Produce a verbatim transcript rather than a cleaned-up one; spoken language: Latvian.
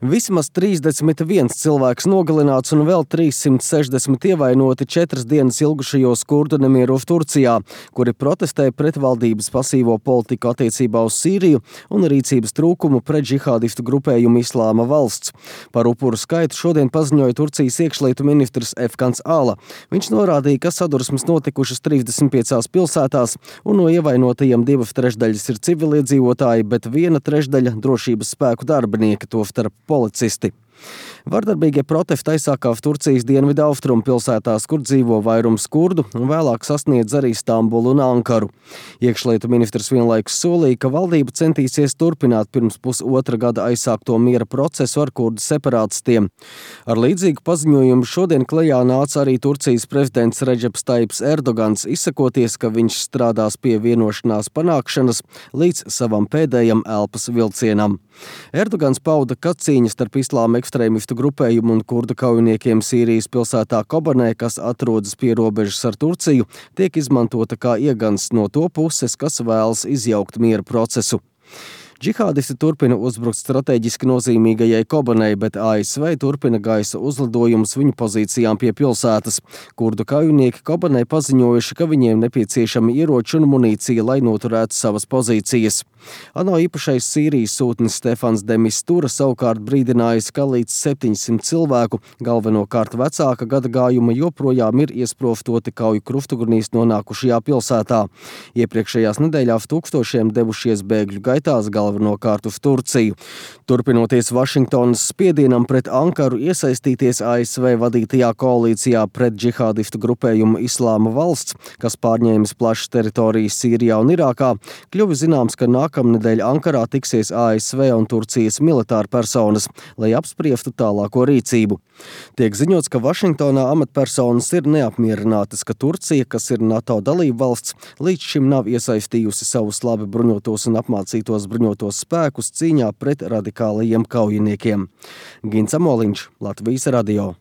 Vismaz trīsdesmit viens cilvēks nogalināts un vēl trīssimt sešdesmit ievainoti četras dienas ilgušajos kurdu nemieros Turcijā, kuri protestē pret valdības pasīvo politiku attiecībā uz Sīriju un rīcības trūkumu pret džihādistu grupējumu Islāma valsts. Par upuru skaitu šodien paziņoja Turcijas iekšlietu ministrs Efkans Ala. Viņš norādīja, ka sadursmes notikušas trīsdesmit piecās pilsētās un no ievainotajiem divas trešdaļas ir civiliedzīvotāji, bet viena trešdaļa drošības spēku darbinieki, tostarp policisti. Vardarbīgie protesti aizsākās Turcijas dienvidu austrumu pilsētās, kur dzīvo vairums kurdu, un vēlāk sasniedz arī Stambulu un Ankaru. Iekšlietu ministrs vienlaikus solīja, ka valdība centīsies turpināt pirms pusotra gada aizsākto miera procesu ar kurdu separātistiem. Ar līdzīgu paziņojumu šodien klajā nāca arī Turcijas prezidents Redžeps Taips Erdogans, izsakoties, ka viņš strādās pie vienošanās panākšanas līdz savam pēdējam elpas vilcienam. Erdogans pauda, ka cīņa starp islāma ekstrēmistu grupējumu un kurdu kaujiniekiem Sīrijas pilsētā Kobanē, kas atrodas pie robežas ar Turciju, tiek izmantota kā iegansts no to puses, kas vēlas izjaukt miera procesu. Džihādisti turpina uzbrukt strateģiski nozīmīgajai Kobanei, bet A S V turpina gaisa uzlidojumus viņu pozīcijām pie pilsētas. Kurdu kaujinieki Kobanei paziņojuši, ka viņiem nepieciešami ieroči un munīcija, lai noturētu savas pozīcijas. ANO īpašais Sīrijas sūtnis Stefans de Mistura savukārt brīdinājis, ka līdz septiņsimt cilvēku, galvenokārt vecāka gadagājuma, joprojām ir iesprostoti kauju krustugurnīs nonākušajā pilsētā. Iepriekšējās nedēļās tūkstošiem devušies bēgļu gaitās galvenokārt uz Turciju. Turpinoties Vašingtonas spiedienam pret Ankaru iesaistīties A S V vadītajā koalīcijā pret džihādistu grupējumu Islāma valsts, kas pārņēmis plašas teritorijas Sīrijā un Irākā, kļuva zināms, ka nākamnedēļ Ankarā tiksies A S V un Turcijas militāra personas, lai apspriestu tālāko rīcību. Tiek ziņots, ka Vašingtonā amatpersonas ir neapmierinātas, ka Turcija, kas ir NATO dalība valsts, līdz šim nav iesaistījusi savus labi bruņotos un apmācītos bruņotos spēkus cīņā pret radikālajiem kaujiniekiem. Gins Amoliņš, Latvijas radio.